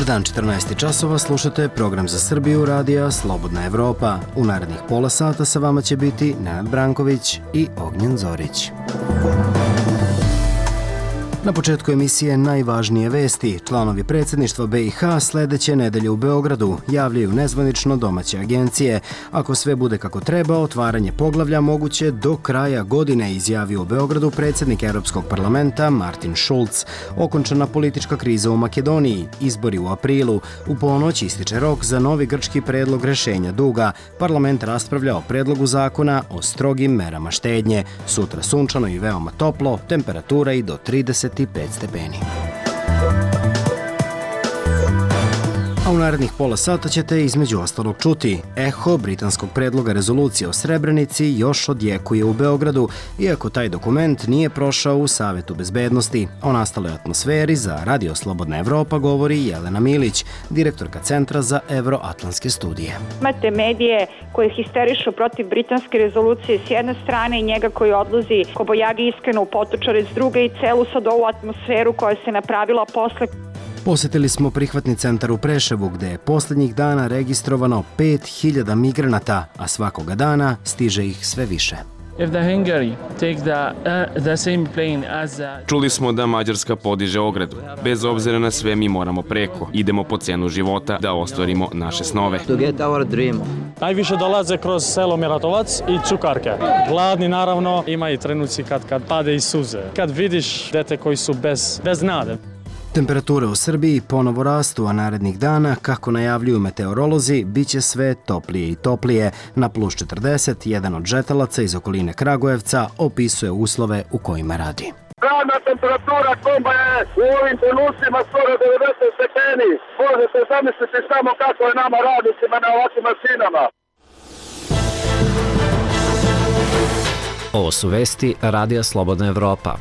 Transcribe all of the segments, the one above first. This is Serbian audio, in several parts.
Dobar dan, 14 časova, slušate program za Srbiju radija Slobodna Evropa. U narednih pola sata sa vama će biti Nenad Branković i Ognjen Zorić. Na početku emisije najvažnije vesti. Članovi predsjedništva BiH sledeće nedelje u Beogradu javljaju nezvanično domaće agencije. Ako sve bude kako treba, otvaranje poglavlja moguće do kraja godine, izjavio u Beogradu predsjednik Europskog parlamenta Martin Schulz. Okončana politička kriza u Makedoniji, izbori u aprilu. U ponoć ističe rok za novi grčki predlog rešenja duga. Parlament raspravlja o predlogu zakona o strogim merama štednje. Sutra sunčano i veoma toplo, temperatura i do 35 stepeni. A u narednih pola sata ćete između ostalog čuti: eho britanskog predloga rezolucije o Srebrenici još odjekuje u Beogradu, iako taj dokument nije prošao u Savetu bezbednosti. O nastaloj atmosferi za Radio Slobodna Evropa govori Jelena Milić, direktorka Centra za evroatlantske studije. Imate medije koji histerišu protiv britanske rezolucije s jedne strane i njega koji odlazi kobojagi iskreno u potočare s druge i celu sad ovu atmosferu koja se napravila posle. Posjetili smo prihvatni centar u Preševu gde je posljednjih dana registrovano 5000 migranata, a svakoga dana stiže ih sve više. Čuli smo da Mađarska podiže ogradu. Bez obzira na sve mi moramo preko. Idemo po cenu života da ostvarimo naše snove. Najviše dolaze kroz selo Miratovac i Cukarke. Gladni naravno, ima i trenuci kad pade i suze. Kad vidiš dete koji su bez nade. Temperature u Srbiji ponovo rastu, a narednih dana, kako najavljuju meteorolozi, bit će sve toplije i toplije. Na plus 40, jedan od žetalaca iz okoline Kragujevca opisuje uslove u kojima radi. Radna temperatura komba je u ovim trenucima skoro 90 stepeni. Možete zamisliti samo kako je nama radnicima na ovakvim mašinama. Ovo su vesti Radija Slobodna Evropa.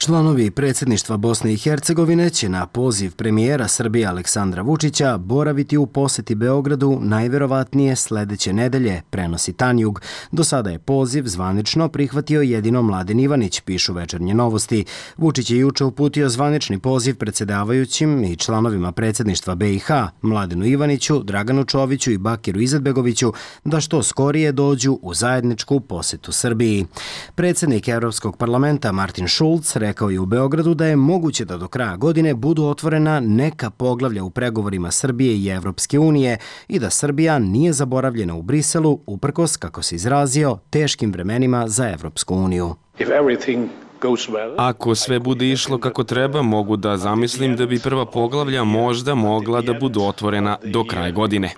Članovi predsjedništva Bosne i Hercegovine će na poziv premijera Srbije Aleksandra Vučića boraviti u posjeti Beogradu najverovatnije sledeće nedelje, prenosi Tanjug. Do sada je poziv zvanično prihvatio jedino Mladen Ivanić, pišu Večernje novosti. Vučić je juče uputio zvanični poziv predsjedavajućim i članovima predsjedništva BiH, Mladenu Ivaniću, Draganu Čoviću i Bakiru Izetbegoviću, da što skorije dođu u zajedničku posjetu Srbiji. Predsjednik Europskog parlamenta Martin Schulz rekao je u Beogradu da je moguće da do kraja godine budu otvorena neka poglavlja u pregovorima Srbije i Evropske unije i da Srbija nije zaboravljena u Briselu uprkos, kako se izrazio, teškim vremenima za Evropsku uniju. Ako sve bude išlo kako treba, mogu da zamislim da bi prva poglavlja možda mogla da budu otvorena do kraja godine.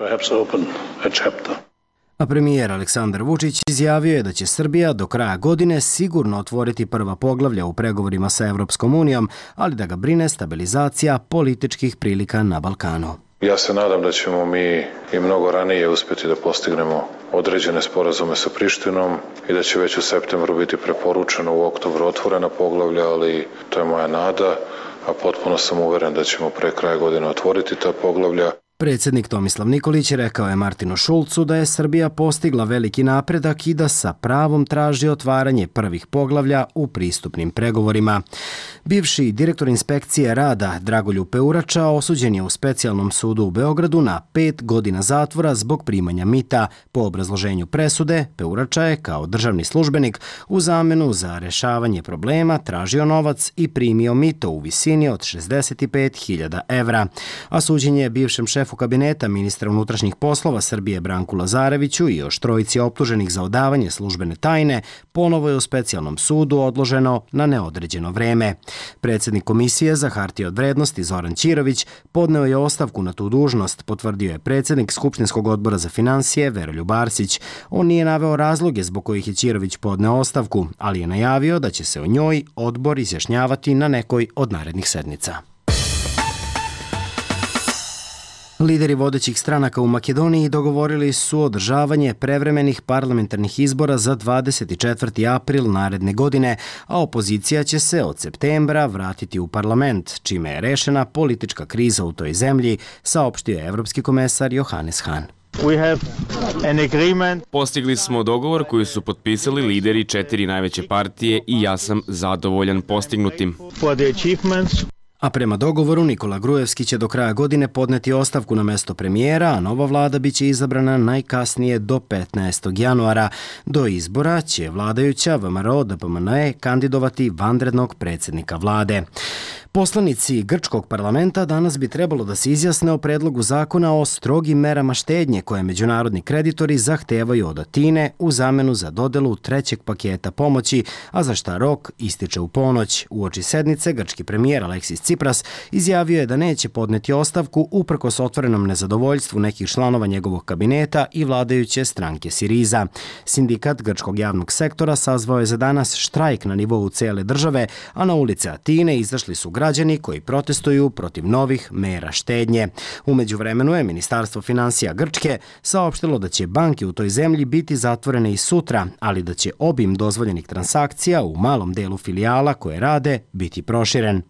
A premijer Aleksandar Vučić izjavio je da će Srbija do kraja godine sigurno otvoriti prva poglavlja u pregovorima sa Evropskom unijom, ali da ga brine stabilizacija političkih prilika na Balkanu. Ja se nadam da ćemo mi i mnogo ranije uspjeti da postignemo određene sporazume sa Prištinom i da će već u septembru biti preporučeno u oktobru otvorena poglavlja, ali to je moja nada, a potpuno sam uveren da ćemo pre kraja godine otvoriti ta poglavlja. Predsjednik Tomislav Nikolić rekao je Martinu Šulcu da je Srbija postigla veliki napredak i da sa pravom traži otvaranje prvih poglavlja u pristupnim pregovorima. Bivši direktor inspekcije rada Dragoljub Peurača osuđen je u specijalnom sudu u Beogradu na 5 godina zatvora zbog primanja mita. Po obrazloženju presude, Peurača je kao državni službenik u zamenu za rešavanje problema tražio novac i primio mito u visini od 65.000 evra. A suđenje je bivšem šefu kabineta ministra unutrašnjih poslova Srbije Branku Lazareviću i još trojici optuženih za odavanje službene tajne ponovo je u specijalnom sudu odloženo na neodređeno vreme. Predsjednik Komisije za hartije od vrednosti Zoran Ćirović podneo je ostavku na tu dužnost, potvrdio je predsjednik Skupštinskog odbora za finansije Veroljub Arsić. On nije naveo razloge zbog kojih je Ćirović podneo ostavku, ali je najavio da će se o njoj odbor izjašnjavati na nekoj od narednih sednica. Lideri vodećih stranaka u Makedoniji dogovorili su održavanje prevremenih parlamentarnih izbora za 24. april naredne godine, a opozicija će se od septembra vratiti u parlament, čime je rešena politička kriza u toj zemlji, saopštio je evropski komesar Johannes Hahn. Postigli smo dogovor koji su potpisali lideri 4 najveće partije i ja sam zadovoljan postignutim. A prema dogovoru Nikola Grujevski će do kraja godine podneti ostavku na mesto premijera, a nova vlada biće izabrana najkasnije do 15. januara. Do izbora će vladajuća VMRO-DPMNE kandidovati vanrednog predsjednika vlade. Poslanici grčkog parlamenta danas bi trebalo da se izjasne o predlogu zakona o strogim merama štednje koje međunarodni kreditori zahtevaju od Atine u zamenu za dodelu trećeg paketa pomoći, a za šta rok ističe u ponoć. Uoči sednice grčki premijer Aleksis Tsipras izjavio je da neće podneti ostavku uprkos otvorenom nezadovoljstvu nekih članova njegovog kabineta i vladajuće stranke Siriza. Sindikat grčkog javnog sektora sazvao je za danas štrajk na nivou cele države, a na ulice Atine izašli su građani koji protestuju protiv novih mera štednje. U međuvremenu je Ministarstvo finansija Grčke saopštilo da će banke u toj zemlji biti zatvorene i sutra, ali da će obim dozvoljenih transakcija u malom delu filijala koje rade biti proširen.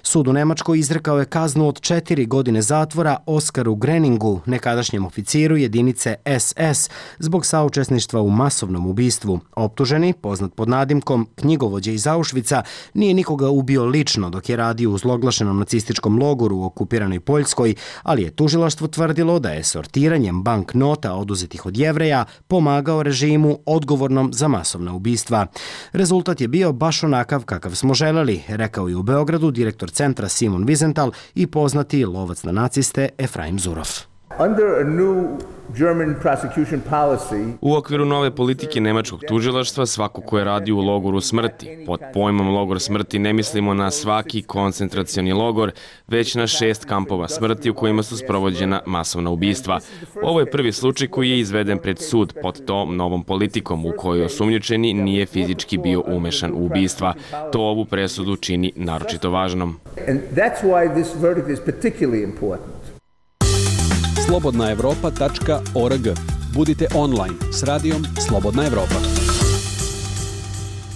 Sud u Nemačkoj izrekao je kaznu od 4 godine zatvora Oskaru Greningu, nekadašnjem oficiru jedinice SS, zbog saučesništva u masovnom ubistvu. Optuženi, poznat pod nadimkom knjigovođe iz Auschwitza, nije nikoga ubio lično dok je radio u zloglašenom nacističkom logoru u okupiranoj Poljskoj, ali je tužilaštvo tvrdilo da je sortiranjem banknota oduzetih od Jevreja pomagao režimu odgovornom za masovna ubistva. Rezultat je bio baš onakav kakav smo želeli, rekao je u Beogradu direktor centra Simon Wiesenthal i poznati lovac na naciste Efraim Zurov. U okviru nove politike nemačkog tužilaštva svako ko je radio u logoru smrti. Pod pojmom logor smrti ne mislimo na svaki koncentracioni logor, već na 6 kampova smrti u kojima su sprovođena masovna ubistva. Ovo je prvi slučaj koji je izveden pred sud pod tom novom politikom u kojoj osumnjičeni nije fizički bio umešan u ubistva. To ovu presudu čini naročito važnom. slobodnaevropa.org. Budite online s radijom Slobodna Evropa.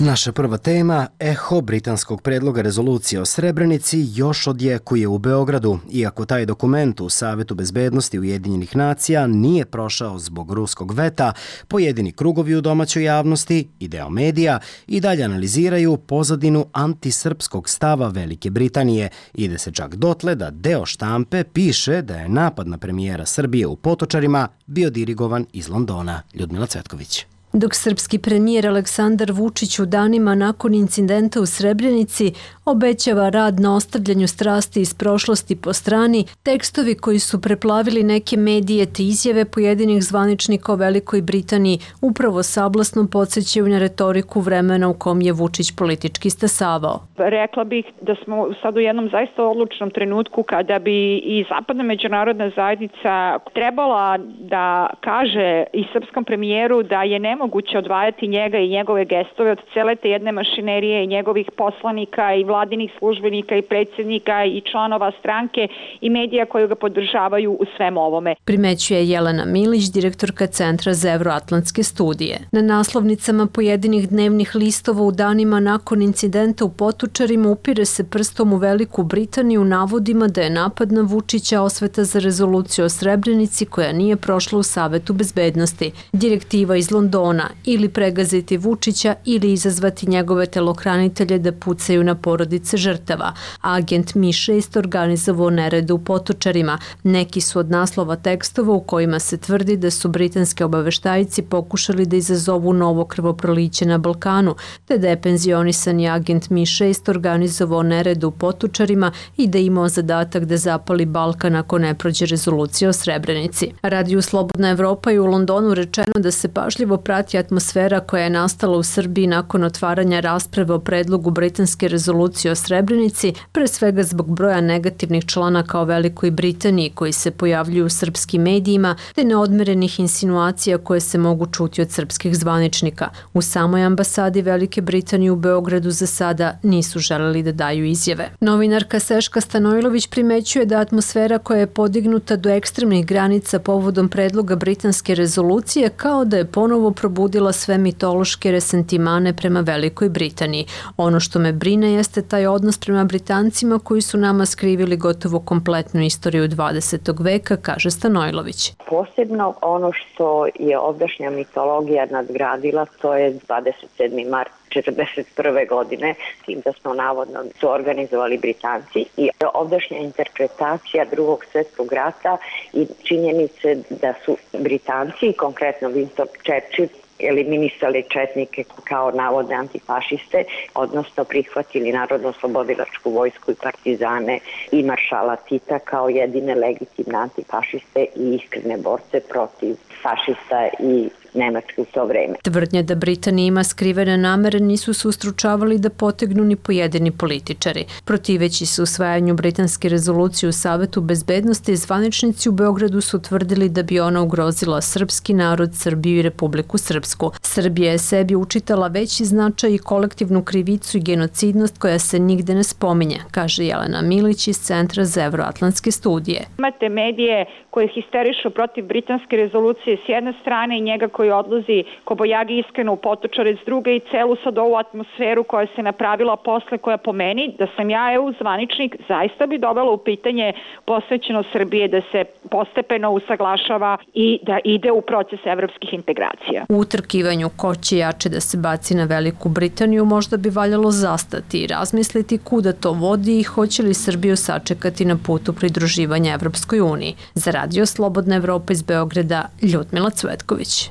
Naša prva tema, eho britanskog predloga rezolucije o Srebrenici još odjekuje u Beogradu, iako taj dokument u Savetu bezbednosti Ujedinjenih nacija nije prošao zbog ruskog veta, pojedini krugovi u domaćoj javnosti i deo medija i dalje analiziraju pozadinu antisrpskog stava Velike Britanije. Ide se čak dotle da deo štampe piše da je napad na premijera Srbije u Potočarima bio dirigovan iz Londona. Ljudmila Cvetković. Dok srpski premijer Aleksandar Vučić u danima nakon incidenta u Srebrenici obećava rad na ostavljanju strasti iz prošlosti po strani, tekstovi koji su preplavili neke medije te izjave pojedinih zvaničnika o Velikoj Britaniji upravo sablasno podsjećaju na retoriku vremena u kom je Vučić politički stasavao. Rekla bih da smo sad u jednom zaista odlučnom trenutku kada bi i zapadna međunarodna zajednica trebala da kaže i srpskom premijeru da je nemoguće odvajati njega i njegove gestove od cele te jedne mašinerije i njegovih poslanika i vladinih službenika i predsjednika i članova stranke i medija koji ga podržavaju u svem ovome. Primećuje Jelena Milić, direktorka Centra za evroatlantske studije. Na naslovnicama pojedinih dnevnih listova u danima nakon incidenta u Potočarima upire se prstom u Veliku Britaniju u navodima da je napad na Vučića osveta za rezoluciju o Srebrenici koja nije prošla u Savetu bezbednosti. Direktiva iz Londona ili pregaziti Vučića ili izazvati njegove telohranitelje da pucaju na porodice žrtava. Agent Mi-6 organizovao nerede u Potočarima. Neki su od naslova tekstova u kojima se tvrdi da su britanski obaveštajci pokušali da izazovu novo krvoproliće na Balkanu, te da je penzionisani agent Mi-6 organizovao nerede u Potočarima i da je imao zadatak da zapali Balkan ako ne prođe rezolucija o Srebrenici. Radiju Slobodna Evropa je u Londonu rečeno da se pažljivo prati atmosfera koja je nastala u Srbiji nakon otvaranja rasprave o predlogu britanske rezolucije o Srebrenici, pre svega zbog broja negativnih članaka o Velikoj Britaniji koji se pojavljuju u srpskim medijima, te neodmerenih insinuacija koje se mogu čuti od srpskih zvaničnika. U samoj ambasadi Velike Britanije u Beogradu za sada nisu želeli da daju izjave. Novinarka Seška Stanojlović primećuje da atmosfera koja je podignuta do ekstremnih granica povodom predloga britanske rezolucije kao da je ponovo probudila sve mitološke resentimane prema Velikoj Britaniji. Ono što me brine jeste se taj odnos prema Britancima koji su nama skrivili gotovo kompletnu istoriju 20. veka, kaže Stanojlović. Posebno ono što je ovdašnja mitologija nadgradila, to je 27. mart 1941. godine, tim da smo navodno to organizovali Britanci, i ovdašnja interpretacija Drugog svjetskog rata i činjenice da su Britanci, konkretno Winston Churchill, eliminisali četnike kao navodne antifašiste, odnosno prihvatili Narodno-oslobodilačku vojsku i partizane i maršala Tita kao jedine legitimne antifašiste i iskrene borce protiv fašista i Nemačke u to vreme. Tvrdnje da Britanija ima skrivene namere nisu se ustručavali da potegnu ni pojedini političari. Protiveći se usvajanju britanske rezolucije u Savetu bezbednosti, zvaničnici u Beogradu su tvrdili da bi ona ugrozila srpski narod, Srbiju i Republiku Srpsku. Srbija je sebi učitala veći značaj i kolektivnu krivicu i genocidnost koja se nigde ne spominje, kaže Jelena Milić iz Centra za evroatlantske studije. Imate medije koje histerišu protiv britanske rezolucije s jedne strane i njega koji odlazi kobojagi iskreno u Potočare s druge i celu sad ovu atmosferu koja se napravila posle, koja po meni, da sam ja EU zvaničnik, zaista bi dovela u pitanje posvećenost Srbije da se postepeno usaglašava i da ide u proces evropskih integracija. U utrkivanju ko će jače da se baci na Veliku Britaniju možda bi valjalo zastati i razmisliti kuda to vodi i hoće li Srbiju sačekati na putu pridruživanja Evropskoj uniji. Za Radio Slobodna Evropa iz Beograda, Ljudmila Cvetković.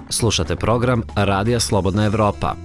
Slušate program Radija Slobodna Evropa.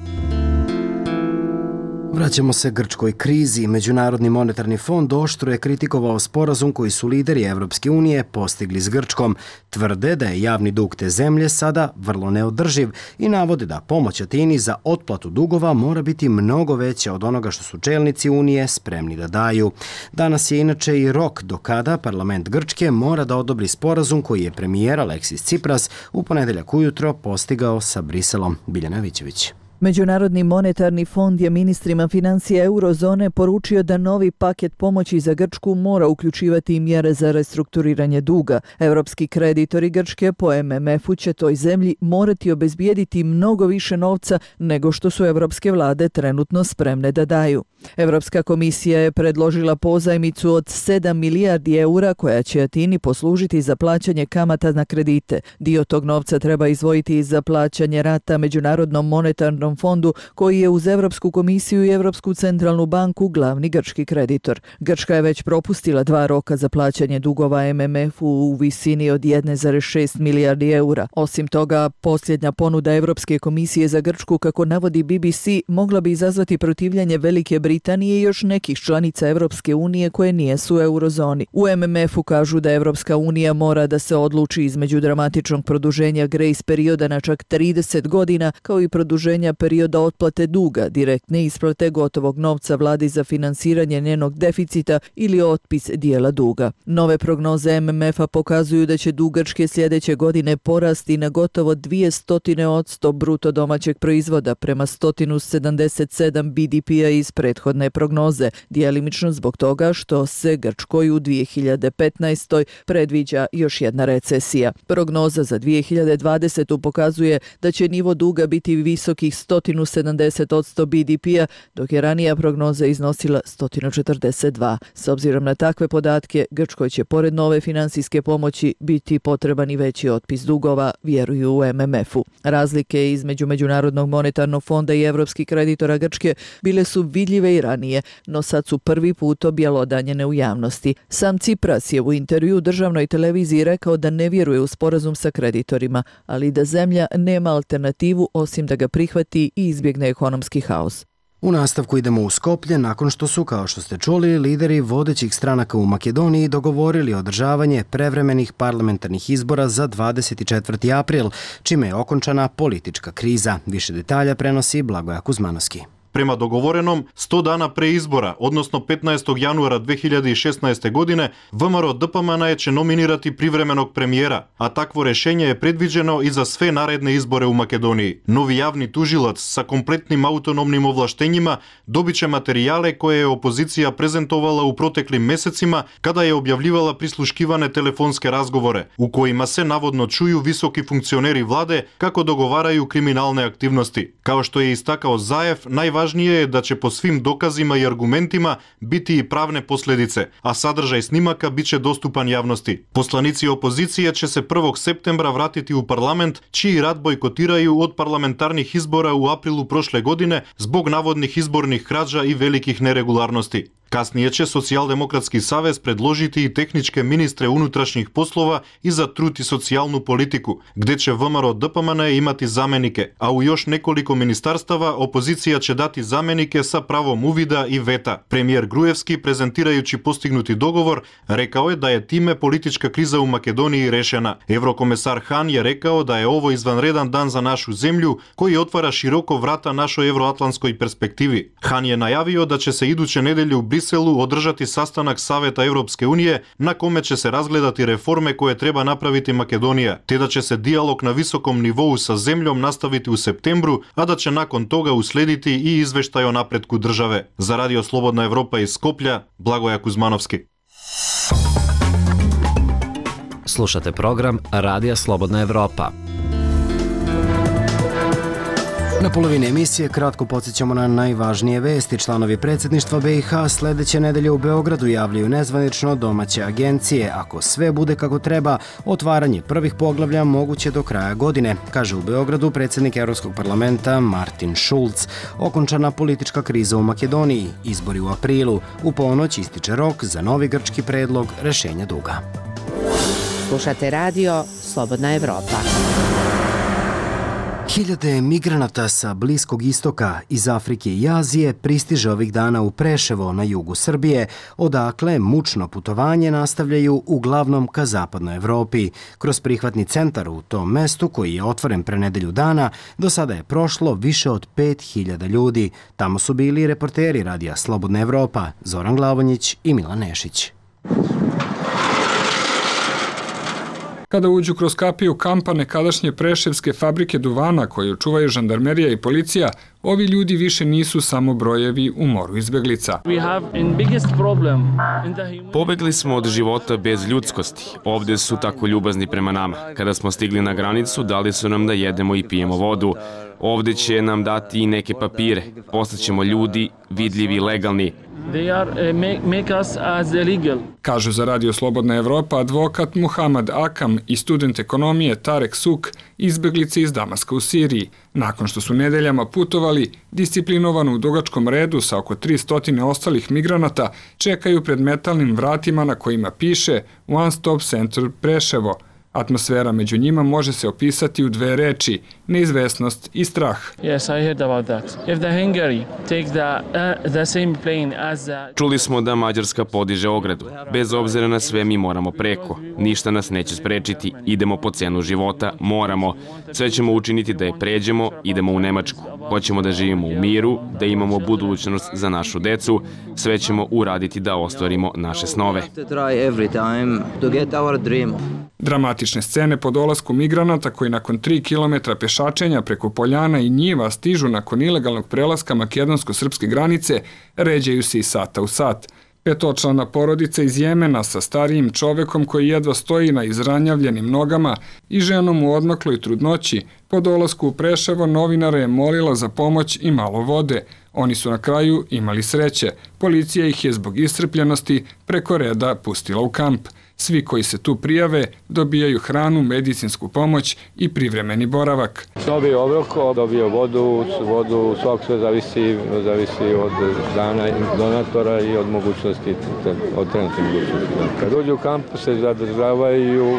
Vraćamo se grčkoj krizi. Međunarodni monetarni fond oštro je kritikovao sporazum koji su lideri Evropske unije postigli s Grčkom. Tvrde da je javni dug te zemlje sada vrlo neodrživ i navode da pomoć Atini za otplatu dugova mora biti mnogo veća od onoga što su čelnici Unije spremni da daju. Danas je inače i rok do kada parlament Grčke mora da odobri sporazum koji je premijer Aleksis Tsipras u ponedeljak ujutro postigao sa Briselom. Biljana Vićević. Međunarodni monetarni fond je ministrima financija eurozone poručio da novi paket pomoći za Grčku mora uključivati i mjere za restrukturiranje duga. Evropski kreditori Grčke po MMF-u će toj zemlji morati obezbijediti mnogo više novca nego što su evropske vlade trenutno spremne da daju. Evropska komisija je predložila pozajmicu od 7 milijardi eura koja će Atini poslužiti za plaćanje kamata na kredite. Dio tog novca treba izdvojiti i za plaćanje rata Međunarodnom monetarnom fondu koji je uz Evropsku komisiju i Evropsku centralnu banku glavni grčki kreditor. Grčka je već propustila 2 roka za plaćanje dugova MMF-u u visini od 1,6 milijardi eura. Osim toga, posljednja ponuda Evropske komisije za Grčku, kako navodi BBC, mogla bi izazvati protivljenje Velike Britanije i još nekih članica Evropske unije koje nijesu u eurozoni. U MMF-u kažu da Evropska unija mora da se odluči između dramatičnog produženja grace perioda na čak 30 godina, kao i produženja perioda otplate duga, direktne isplate gotovog novca vladi za finansiranje njenog deficita ili otpis dijela duga. Nove prognoze MMF-a pokazuju da će dug Grčke sljedeće godine porasti na gotovo 200% bruto domaćeg proizvoda prema 177 BDP-a iz prethodne prognoze, djelimično zbog toga što se Grčkoj u 2015. predviđa još jedna recesija. Prognoza za 2020. pokazuje da će nivo duga biti visokih 170% BDP-a, dok je ranija prognoza iznosila 142. S obzirom na takve podatke, Grčkoj će pored nove finansijske pomoći biti potreban i veći otpis dugova, vjeruju u MMF-u. Razlike između Međunarodnog monetarnog fonda i evropskih kreditora Grčke bile su vidljive i ranije, no sad su prvi put objelodanjene u javnosti. Sam Tsipras je u intervju državnoj televiziji rekao da ne vjeruje u sporazum sa kreditorima, ali da zemlja nema alternativu osim da ga prihvati i izbjegne ekonomski haos. U nastavku idemo u Skoplje nakon što su, kao što ste čuli, lideri vodećih stranaka u Makedoniji dogovorili održavanje prevremenih parlamentarnih izbora za 24. april, čime je okončana politička kriza. Više detalja prenosi Blagoja Kuzmanovski. Prema dogovorenom, 100 dana pre izbora, odnosno 15. januara 2016. godine, ВМРО ДПМН će nominirati privremenog premijera, a takvo rešenje je predviđeno i za sve naredne izbore u Makedoniji. Novi javni tužilac sa kompletnim autonomnim ovlaštenjima dobiće materijale koje je opozicija prezentovala u proteklim mesecima kada je objavljivala prisluškivane telefonske razgovore, u kojima se navodno čuju visoki funkcioneri vlade kako dogovaraju kriminalne aktivnosti. Kao što je istakao Zaev, najvažnije je da će po svim dokazima i argumentima biti i pravne posledice, a sadržaj snimaka biće dostupan javnosti. Poslanici opozicije će se 1. septembra vratiti u parlament, čiji rad bojkotiraju od parlamentarnih izbora u aprilu prošle godine zbog navodnih izbornih krađa i velikih neregularnosti. Kasnije će Socijaldemokratski savez predložiti i tehničke ministre unutrašnjih poslova i za trud i socijalnu politiku, gde će ВМРО ДПМН imati zamenike, a u još nekoliko ministarstava opozicija će dati zamenike sa pravom uvida i veta. Premijer Grujevski, prezentirajući postignuti dogovor, rekao je da je time politička kriza u Makedoniji rešena. Evrokomesar Han je rekao da je ovo izvanredan dan za našu zemlju, koji otvara široko vrata našoj evroatlantskoj perspektivi. Han je najavio da će se iduće nedelje u Briselu održati sastanak Saveta Evropske unije na kome će se razgledati reforme koje treba napraviti Makedonija, te da će se dijalog na visokom nivou sa zemljom nastaviti u septembru, a da će nakon toga uslediti i izveštaj o napretku države. Za Radio Slobodna Evropa iz Skoplja, Blagoja Kuzmanovski. Slušate program Radija Slobodna Evropa. Na polovini emisije kratko podsjećamo na najvažnije vesti. Članovi predsjedništva BiH sledeće nedelje u Beogradu javljaju nezvanično domaće agencije. Ako sve bude kako treba, otvaranje prvih poglavlja moguće do kraja godine, kaže u Beogradu predsjednik Evropskog parlamenta Martin Schulz. Okončana politička kriza u Makedoniji, izbori u aprilu, u ponoć ističe rok za novi grčki predlog rešenja duga. Slušate radio Slobodna Evropa. Hiljade migranata sa Bliskog istoka, iz Afrike i Azije pristiže ovih dana u Preševo na jugu Srbije, odakle mučno putovanje nastavljaju uglavnom ka zapadnoj Evropi. Kroz prihvatni centar u tom mestu, koji je otvoren pre nedelju dana, do sada je prošlo više od 5000 ljudi. Tamo su bili reporteri Radija Slobodna Evropa, Zoran Glavonjić i Milan Nešić. Kada uđu kroz kapiju kampa nekadašnje preševske fabrike duvana koju čuvaju žandarmerija i policija, ovi ljudi više nisu samo brojevi u moru izbeglica. Pobegli smo od života bez ljudskosti. Ovde su tako ljubazni prema nama. Kada smo stigli na granicu, dali su nam da jedemo i pijemo vodu. Ovde će nam dati i neke papire. Postaćemo ljudi, vidljivi i legalni. Kažu za Radio Slobodna Evropa advokat Muhamad Akam i student ekonomije Tarek Suk, izbeglice iz Damaska u Siriji. Nakon što su nedeljama putovali, disciplinovano u dugačkom redu sa oko 300 ostalih migranata, čekaju pred metalnim vratima na kojima piše One Stop Center Preševo. Atmosfera među njima može se opisati u dve reči, neizvesnost i strah. Čuli smo da Mađarska podiže ogradu. Bez obzira na sve mi moramo preko. Ništa nas neće sprečiti. Idemo po cenu života, moramo. Sve ćemo učiniti da je pređemo, idemo u Nemačku. Hoćemo da živimo u miru, da imamo budućnost za našu decu. Sve ćemo uraditi da ostvarimo naše snove. Dramatične scene po dolasku migranata koji nakon 3 kilometra pešačenja preko poljana i njiva stižu nakon ilegalnog prelaska makedonsko-srpske granice ređaju se i sata u sat. Petočlana porodica iz Jemena sa starijim čovekom koji jedva stoji na izranjavljenim nogama i ženom u odmakloj trudnoći po dolasku u Preševo novinara je molila za pomoć i malo vode. Oni su na kraju imali sreće. Policija ih je zbog iscrpljenosti preko reda pustila u kamp. Svi koji se tu prijave dobijaju hranu, medicinsku pomoć i privremeni boravak. Dobio obrok, dobio vodu, svak sve zavisi od dana donatora i od mogućnosti, od trenutne mogućnosti. Kad uđu u kamp se zadržavaju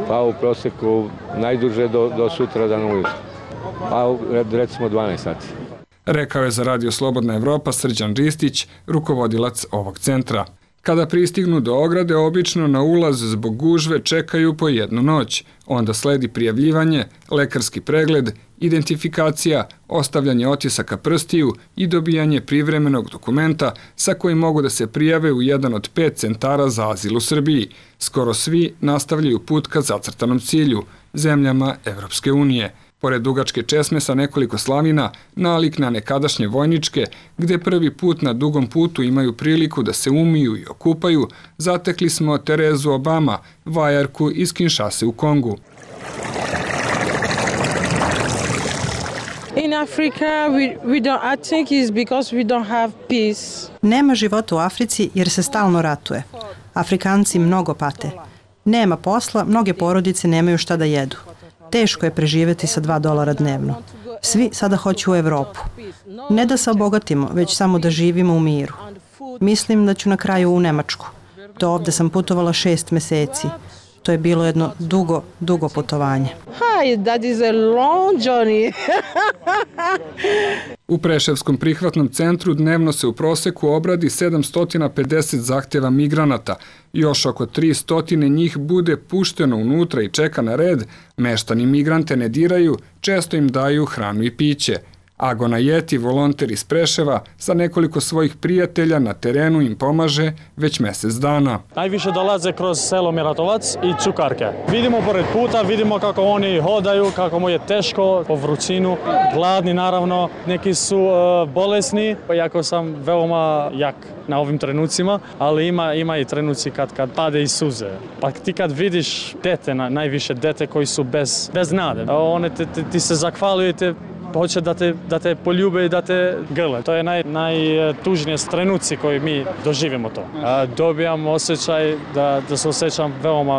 pa u proseku najduže do sutra dan ujutru, pa recimo 12 sati. Rekao je za Radio Slobodna Evropa Srđan Ristić, rukovodilac ovog centra. Kada pristignu do ograde, obično na ulaz zbog gužve čekaju po jednu noć. Onda sledi prijavljivanje, lekarski pregled identifikacija, ostavljanje otisaka prstiju i dobijanje privremenog dokumenta sa kojim mogu da se prijave u jedan od 5 centara za azil u Srbiji. Skoro svi nastavljaju put ka zacrtanom cilju, zemljama Evropske unije. Pored dugačke česme sa nekoliko slavina, nalik na nekadašnje vojničke, gde prvi put na dugom putu imaju priliku da se umiju i okupaju, zatekli smo Terezu Obama, vajarku iz Kinshase u Kongu. In Africa, I think it's because we don't have peace. Nema života u Africi jer se stalno ratuje. Afrikanci mnogo pate. Nema posla, mnoge porodice nemaju šta da jedu. Teško je preživjeti sa $2 dnevno. Svi sada hoću u Evropu. Ne da se obogatimo, već samo da živimo u miru. Mislim da ću na kraju u Nemačku. Do ovde sam putovala 6 meseci. To je bilo jedno dugo putovanje. Hi, that is a long journey. U Preševskom prihvatnom centru dnevno se u proseku obradi 750 zahtjeva migranata. Još oko 300 njih bude pušteno unutra i čeka na red. Meštani migrante ne diraju, često im daju hranu i piće. Agona Jeti, volonter iz Preševa, sa nekoliko svojih prijatelja na terenu im pomaže već mjesec dana. Najviše dolaze kroz selo Miratovac i Cukarke. Vidimo pored puta, vidimo kako oni hodaju, kako mu je teško po vrućinu, gladni naravno, neki su bolesni, iako sam veoma jak na ovim trenucima, ali ima i trenuci kad pade i suze. Pa ti kad vidiš dete, najviše dete koji su bez nade, one ti se zahvaljujete, hoće da te poljube i da te grle. To je najtužnije trenuci koji mi doživimo to. Dobijam osjećaj da se osjećam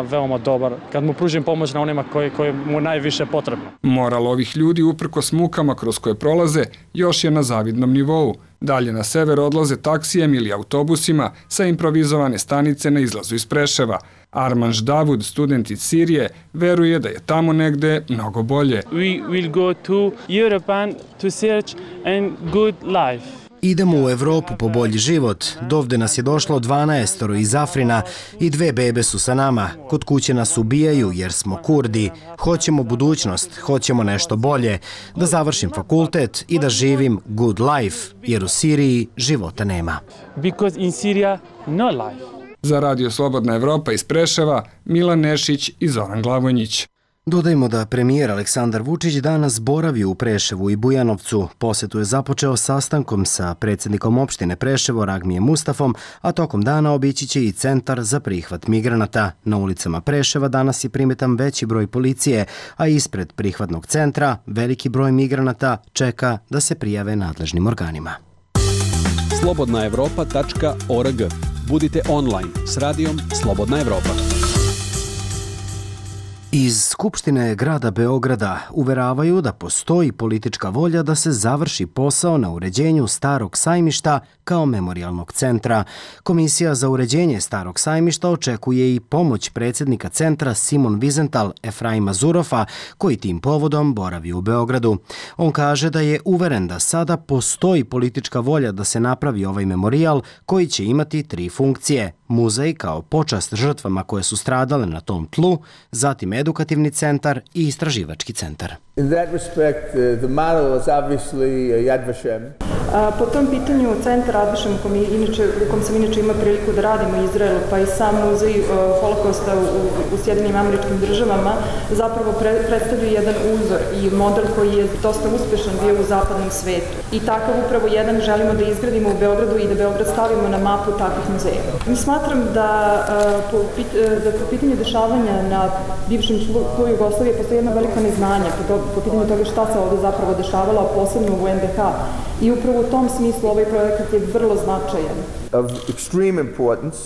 veoma dobar kad mu pružim pomoć na onima koji mu najviše potrebno. Moral ovih ljudi uprkos mukama kroz koje prolaze još je na zavidnom nivou. Dalje na sever odlaze taksijem ili autobusima sa improvizovane stanice na izlazu iz Preševa. Armanš Davud, student iz Sirije, veruje da je tamo negde mnogo bolje. We will go to Europe to search a good life. Idemo u Evropu po bolji život. Dovde nas je došlo 12 iz Afrina i 2 bebe su sa nama. Kod kuće nas ubijaju jer smo Kurdi. Hoćemo budućnost, hoćemo nešto bolje. Da završim fakultet i da živim good life, jer u Siriji života nema. Because in Syria no life. Za Radio Slobodna Evropa iz Preševa, Milan Nešić i Zoran Glavonjić. Dodajmo da premijer Aleksandar Vučić danas boravi u Preševu i Bujanovcu. Posetu je započeo sastankom sa predsjednikom opštine Preševo Ragmijem Mustafom, a tokom dana obići će i centar za prihvat migranata. Na ulicama Preševa danas je primetan veći broj policije, a ispred prihvatnog centra veliki broj migranata čeka da se prijave nadležnim organima. slobodnaevropa.org. Budite online s radijom Slobodna Evropa. Iz Skupštine grada Beograda uveravaju da postoji politička volja da se završi posao na uređenju Starog sajmišta kao memorijalnog centra. Komisija za uređenje Starog sajmišta očekuje i pomoć predsjednika centra Simon Wiesenthal Efraima Zurofa, koji tim povodom boravi u Beogradu. On kaže da je uveren da sada postoji politička volja da se napravi ovaj memorijal koji će imati 3 funkcije. Muzej kao počast žrtvama koje su stradale na tom tlu, zatim edukativni centar i istraživački centar. In that respect, the model is obviously Yad Vashem. Po tom pitanju centar Yad Vashem u kom sam inače ima priliku da radim u Izraelu, pa i sam muzej holokausta u Sjedinim Američkim Državama zapravo predstavlja jedan uzor i model koji je dosta uspešan bio u zapadnom svetu. I takav upravo jedan želimo da izgradimo u Beogradu i da Beograd stavimo na mapu takvih muzeja. Mi smatram da po pitanju dešavanja na bivšem tlu Jugoslavije postoji jedna velika neznanja po pitanju toga šta se ovdje zapravo dešavalo, a posebno u NDH. I upravo u tom smislu ovaj projekat je vrlo značajan. Of extreme importance.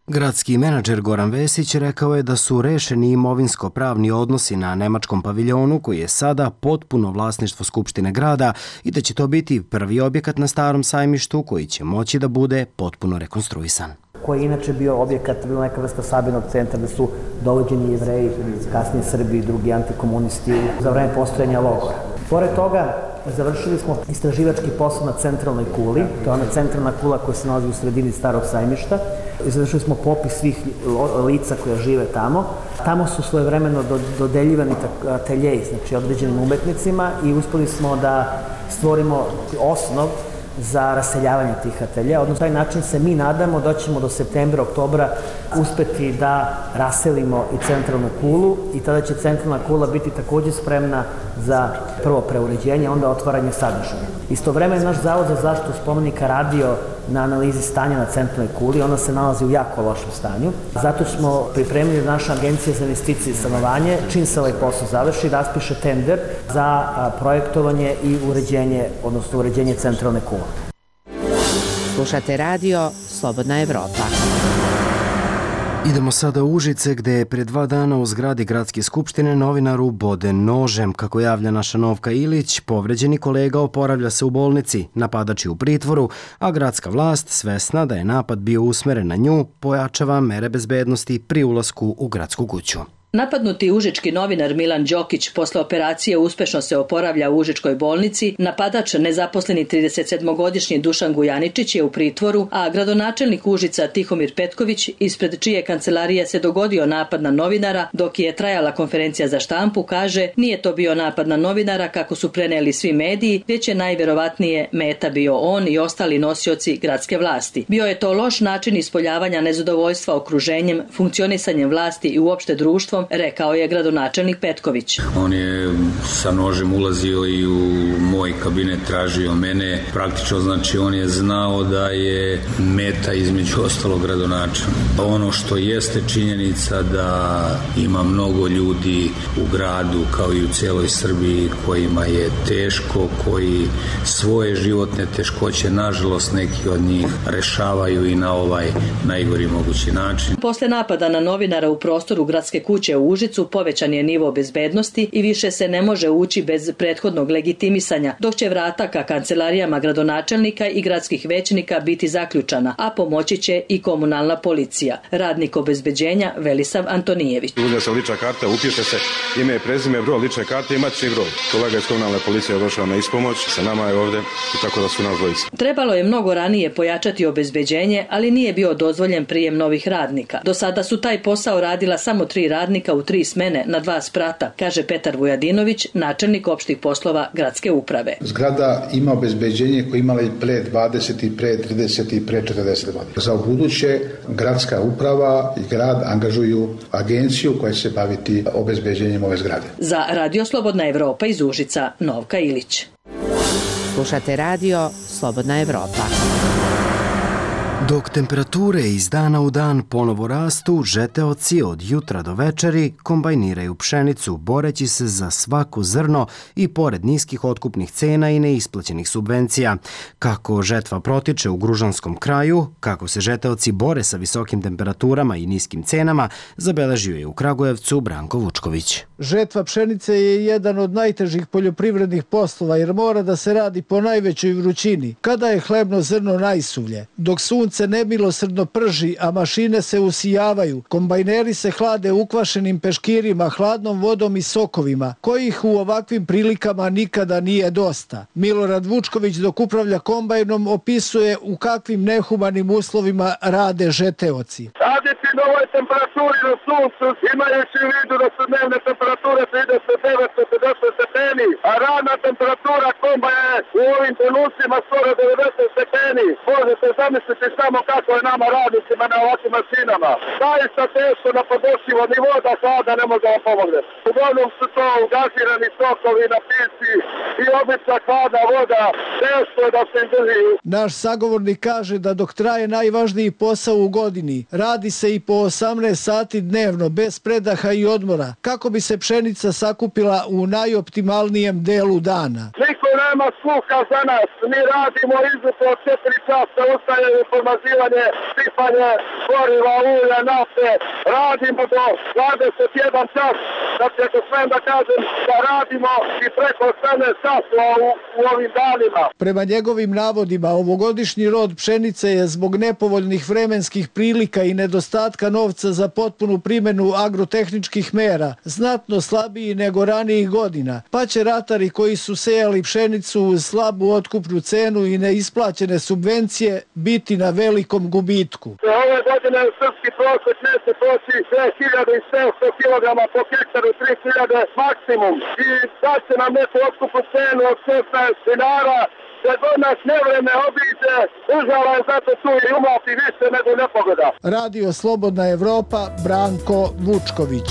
Gradski menadžer Goran Vesić rekao je da su rešeni imovinsko-pravni odnosi na nemačkom paviljonu koji je sada potpuno vlasništvo Skupštine grada i da će to biti prvi objekat na Starom sajmištu koji će moći da bude potpuno rekonstruisan. Koji je inače bio objekat, bilo neka vrsta sabirnog centra da su dovođeni Jevreji, kasnije Srbi i drugi antikomunisti za vreme postojanja logora. Pored toga, Završili smo istraživački posao na centralnoj kuli, to je ona centralna kula koja se nalazi u sredini Starog Sajmišta. Završili smo popis svih lica koja žive tamo. Tamo su svojevremeno dodeljivani ateljeji, znači određenim umetnicima i uspeli smo da stvorimo osnov za raseljavanje tih atelja. Odnosno, taj način se mi nadamo da ćemo do septembra, oktobra uspeti da raselimo i centralnu kulu i tada će centralna kula biti takođe spremna za prvo preuređenje, onda otvaranje sadržaja. Istovremeno naš Zavod za zaštitu spomenika radio na analizi stanja na centralnoj kuli, ona se nalazi u jako lošem stanju. Zato smo pripremili naša agencija za investicije i stanovanje, čim se ovaj posao završi, raspiše tender za projektovanje i uređenje, odnosno uređenje centralne kule. Slušate radio Slobodna Evropa. Idemo sada u Užice, gde je pre 2 dana u zgradi Gradske skupštine novinaru uboden nožem. Kako javlja naša Novka Ilić, povređeni kolega oporavlja se u bolnici, napadač je u pritvoru, a gradska vlast, svesna da je napad bio usmeren na nju, pojačava mere bezbednosti pri ulasku u gradsku kuću. Napadnuti užički novinar Milan Đokić posle operacije uspešno se oporavlja u užičkoj bolnici, napadač nezaposleni 37-godišnji Dušan Gujaničić je u pritvoru, a gradonačelnik Užica Tihomir Petković, ispred čije kancelarije se dogodio napad na novinara, dok je trajala konferencija za štampu, kaže nije to bio napad na novinara kako su preneli svi mediji, već je najverovatnije meta bio on i ostali nosioci gradske vlasti. Bio je to loš način ispoljavanja nezadovoljstva okruženjem, funkcionisanjem vlasti i uopšte društvom, rekao je gradonačelnik Petković. On je sa nožem ulazio i u moj kabinet, tražio mene. Praktično, znači, on je znao da je meta između ostalog gradonačelnika. Ono što jeste činjenica da ima mnogo ljudi u gradu kao i u cijeloj Srbiji kojima je teško, koji svoje životne teškoće, nažalost, neki od njih rešavaju i na ovaj najgori mogući način. Posle napada na novinara u prostoru gradske kuće u Užicu povećan je nivo bezbednosti i više se ne može ući bez prethodnog legitimisanja, dok će vrata ka kancelarijama gradonačelnika i gradskih većnika biti zaključana, a pomoći će i komunalna policija. Radnik obezbeđenja Velisav Antonijević. Uzme se lična karta, upiše se ime i prezime, broj lične karte i matični broj. Kolega iz komunalne policije je došao na ispomoć, sa nama je ovde i tako da su nas dvojica. Trebalo je mnogo ranije pojačati obezbeđenje, ali nije bio dozvoljen prijem novih radnika. Do sada su taj posao radila samo 3 radnika u 3 smene na 2 sprata, kaže Petar Vujadinović, načelnik opštih poslova gradske uprave. Zgrada ima obezbeđenje koje imala i pre 20 i pre 30 i pre 40 godina. Za ubuduće gradska uprava i grad angažuju agenciju koja će se baviti obezbeđenjem ove zgrade. Za Radio Slobodna Evropa iz Užica, Novka Ilić. Slušate radio Slobodna Evropa. Dok temperature iz dana u dan ponovo rastu, žeteoci od jutra do večeri kombajniraju pšenicu, boreći se za svako zrno i pored niskih otkupnih cena i neisplaćenih subvencija. Kako žetva protiče u Gružanskom kraju, kako se žeteoci bore sa visokim temperaturama i niskim cenama, zabeležio je u Kragujevcu Branko Vučković. Žetva pšenice je jedan od najtežih poljoprivrednih poslova jer mora da se radi po najvećoj vrućini, kada je hlebno zrno najsuvlje. Dok sunce nemilosrdno prži, a mašine se usijavaju, kombajneri se hlade ukvašenim peškirima, hladnom vodom i sokovima, kojih u ovakvim prilikama nikada nije dosta. Milorad Vučković dok upravlja kombajnom opisuje u kakvim nehumanim uslovima rade žeteoci. Raditi na ovoj temperaturi na suncu, imajući u vidu da su dnevne temperature 39-50 stepeni, a radna temperatura kombaja je u ovim trenucima skoro 90 stepeni. Možete zamisliti samo kako je nama radnicima na ovakvim mašinama. Zaista teško na podnošljivo nivo da hlada ne može da pomogne. Uglavnom su to gazirani sokovi, napici i obična hladna voda. Teško je da se drži. Naš sagovornik kaže da dok traje najvažniji posao u godini, radi se i po 18 sati dnevno, bez predaha i odmora, kako bi se pšenica sakupila u najoptimalnijem delu dana. Niko nema sluha za nas. Mi radimo izuzetno 4 časa, ustajemo po zamazivanje, sipanje goriva, ulja, nafte. Radimo do 21 čas, znači ako smem da kažem da radimo i preko 18 časova u ovim danima. Prema njegovim navodima, ovogodišnji rod pšenice je zbog nepovoljnih vremenskih prilika i nedostatka novca za potpunu primjenu agrotehničkih mera znatno slabiji nego ranijih godina, pa će ratari koji su sejali pšenicu uz slabu otkupnu cenu i neisplaćene subvencije biti na velikom gubitku. Ove godine u srpski prosjek neće proći 2700 kg po hektaru, 3000 maksimum i da će nam neku otkupnu cenu od 16 dinara. Kad god nas nevreme obiđe, država je zato tu i umati više nego nepogoda. Radio Slobodna Evropa, Branko Vučković.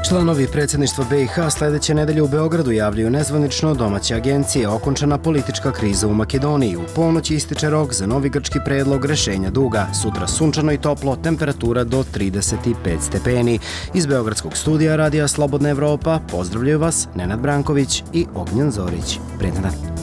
Članovi predsjedništva BiH sljedeće nedelje u Beogradu javljaju nezvanično domaće agencije okončana politička kriza u Makedoniji. U ponoć ističe rok za novi grčki predlog rešenja duga. Sutra sunčano i toplo, temperatura do 35 stepeni. Iz Beogradskog studija Radija Slobodna Evropa pozdravljaju vas Nenad Branković i Ognjen Zorić. Prijetan dan.